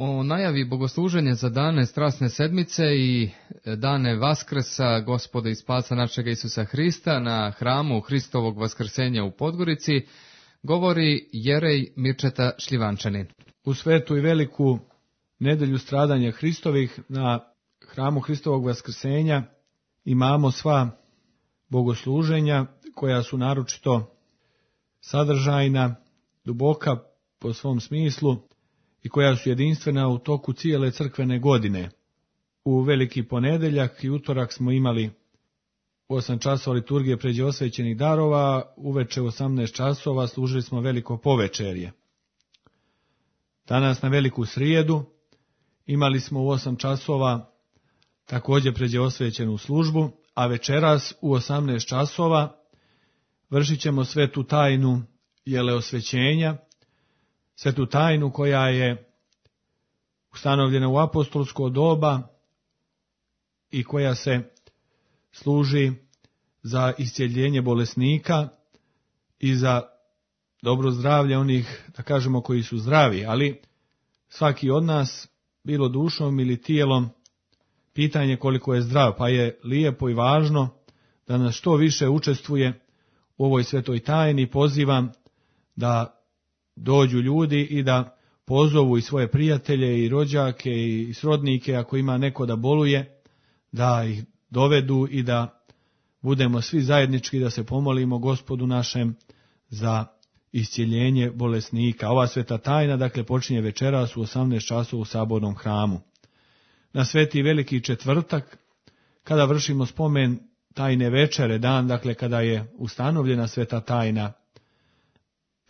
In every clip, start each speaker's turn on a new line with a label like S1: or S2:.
S1: O najavi bogosluženja za dane strasne sedmice i dane Vaskrsa Gospoda i Spasa našega Isusa Hrista na hramu Hristovog Vaskrsenja u Podgorici govori Jerej Mirčeta Šljivančanin.
S2: U svetu i veliku nedelju stradanja Hristovih na hramu Hristovog Vaskrsenja imamo sva bogosluženja koja su naročito sadržajna, duboka po svom smislu i koja su jedinstvena u toku cijele crkvene godine. U veliki ponedeljak i utorak smo imali 8 časova liturgije pređe osvećenih darova, uveče u 18 časova služili smo veliko povečerje. Danas na veliku srijedu imali smo u 8 časova također pređe osvećenu službu, a večeras u 18 časova vršit ćemo svetu tajnu jeleosvećenja, svetu tajnu koja je ustanovljena u apostolsko doba i koja se služi za iscjeljenje bolesnika i za dobro zdravlje onih, da kažemo, koji su zdravi, ali svaki od nas, bilo dušom ili tijelom, pitanje koliko je zdrav, pa je lijepo i važno da nas što više učestvuje u ovoj svetoj tajni. Pozivam da dođu ljudi i da pozovu i svoje prijatelje i rođake i srodnike, ako ima neko da boluje, da ih dovedu i da budemo svi zajednički, da se pomolimo Gospodu našem za iscjeljenje bolesnika. Ova sveta tajna, dakle, počinje večeras u 18 časova u sabornom hramu. Na sveti veliki četvrtak, kada vršimo spomen tajne večere, dan, dakle, kada je ustanovljena sveta tajna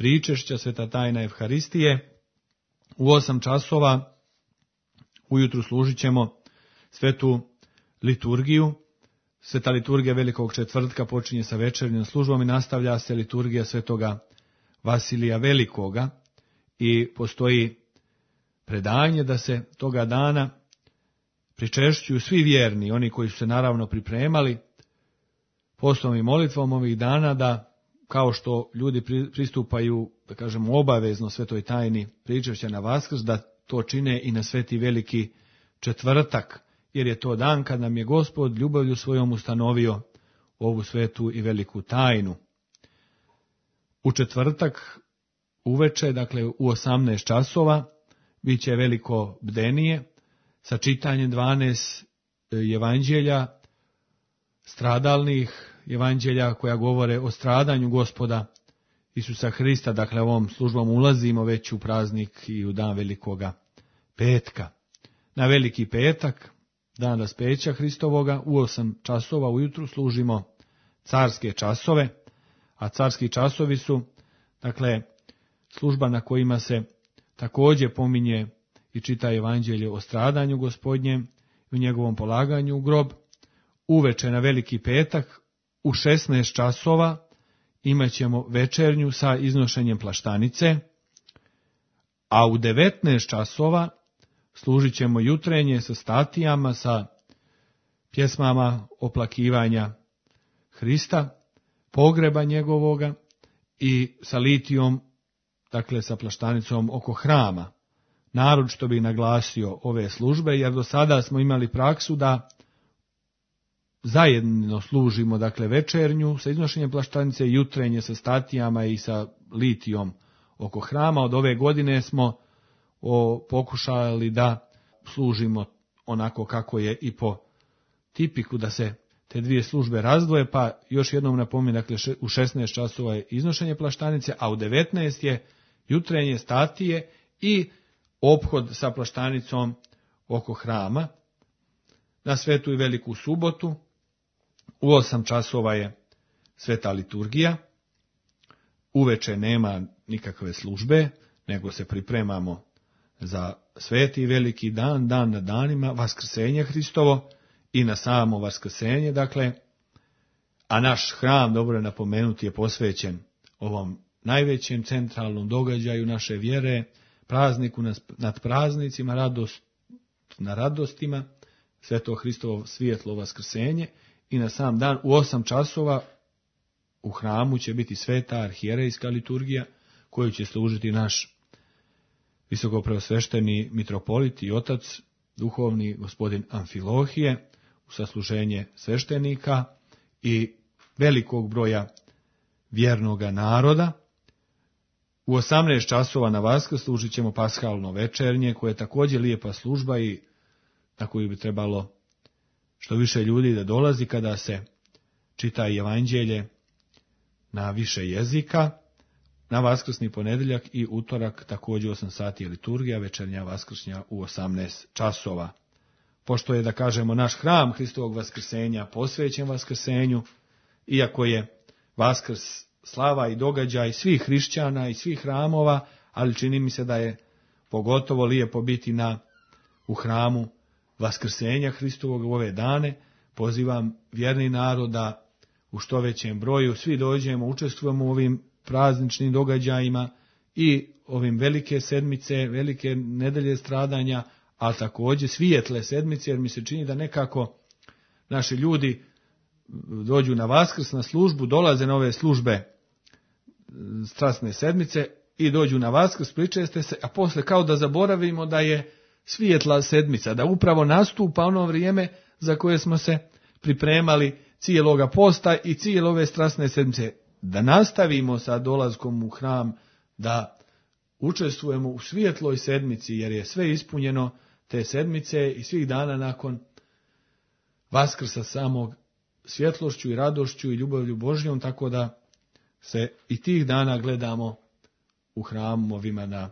S2: pričešća, sveta tajna Evharistije, u 8 časova ujutru služit ćemo svetu liturgiju. Sveta liturgija velikog četvrtka počinje sa večernjom službom i nastavlja se liturgija svetoga Vasilija Velikoga i postoji predanje da se toga dana pričešćuju svi vjerni, oni koji su se naravno pripremali postom i molitvom ovih dana, da kao što ljudi pristupaju, da kažemo, obavezno svetoj tajni pričešća na Vaskrs, da to čine i na sveti veliki četvrtak, jer je to dan kad nam je Gospod ljubavlju svojom ustanovio ovu svetu i veliku tajnu. U četvrtak uveče, dakle u 18 časova, bit će veliko bdenije sa čitanjem 12 evanđelja, stradalnih evanđelja koja govore o stradanju Gospoda Isusa Hrista. Dakle, ovom službom ulazimo već u praznik i u dan velikoga petka. Na veliki petak, dan raspeća Hristovoga, u 8 časova ujutru služimo carske časove, a carski časovi su, dakle, služba na kojima se također pominje i čita evanđelje o stradanju Gospodnjem i u njegovom polaganju u grob. Uveče na veliki petak u 16 časova imat ćemo večernju sa iznošenjem plaštanice, a u 19 časova služit ćemo jutrenje sa statijama, sa pjesmama oplakivanja Hrista, pogreba njegovoga i sa litijom, dakle sa plaštanicom oko hrama. Naročito bih naglasio ove službe, jer do sada smo imali praksu da zajedno služimo, dakle, večernju sa iznošenjem plaštanice, jutrenje sa statijama i sa litijom oko hrama. Od ove godine smo pokušali da služimo onako kako je i po tipiku, da se te dvije službe razdvoje, pa još jednom napominjem, dakle, u 16 časova je iznošenje plaštanice, a u 19 je jutrenje statije i ophod sa plaštanicom oko hrama. Na svetu i veliku subotu u 8 časova je sveta liturgija. Uveče nema nikakve službe, nego se pripremamo za sveti i veliki dan, dan na danima, Vaskrsenje Hristovo i na samo Vaskrsenje, dakle, a naš hram, dobro je napomenuti, je posvećen ovom najvećem centralnom događaju naše vjere, prazniku nad praznicima, radost na radostima, sveto Hristovo svjetlo Vaskrsenje, i na sam dan u 8 časova u hramu će biti sveta arhijerejska liturgija koju će služiti naš visokopreosvešteni mitropolit i otac duhovni gospodin Amfilohije, u sasluženje sveštenika i velikog broja vjernoga naroda. U 18 časova na Vaskrs služit ćemo paskalno večernje, koje je također lijepa služba i na koju bi trebalo što više ljudi da dolazi kada se čita evanđelje na više jezika. Na vaskrsni ponedjeljak i utorak također 8 sati je liturgija, večernja vaskršnja u 18 časova. Pošto je, da kažemo, naš hram Hristovog vaskrsenja posvećen vaskrsenju, iako je Vaskrs slava i događaj svih hrišćana i svih hramova, ali čini mi se da je pogotovo lijepo biti u hramu vaskrsenja Hristovog u ove dane. Pozivam vjerni narod da u što većem broju svi dođemo, učestvujemo u ovim prazničnim događajima i ovim velike sedmice, velike nedelje stradanja, ali također svijetle sedmice, jer mi se čini da nekako naši ljudi dođu na Vaskrs, na službu, dolaze na ove službe strasne sedmice i dođu na Vaskrs, pričeste se, a posle kao da zaboravimo da je svijetla sedmica, da upravo nastupa ono vrijeme za koje smo se pripremali cijeloga posta i cijele ove strasne sedmice. Da nastavimo sa dolaskom u hram, da učestvujemo u svjetloj sedmici, jer je sve ispunjeno te sedmice i svih dana nakon Vaskrsa samog svjetlošću i radošću i ljubavlju Božjom, tako da se i tih dana gledamo u hramovima na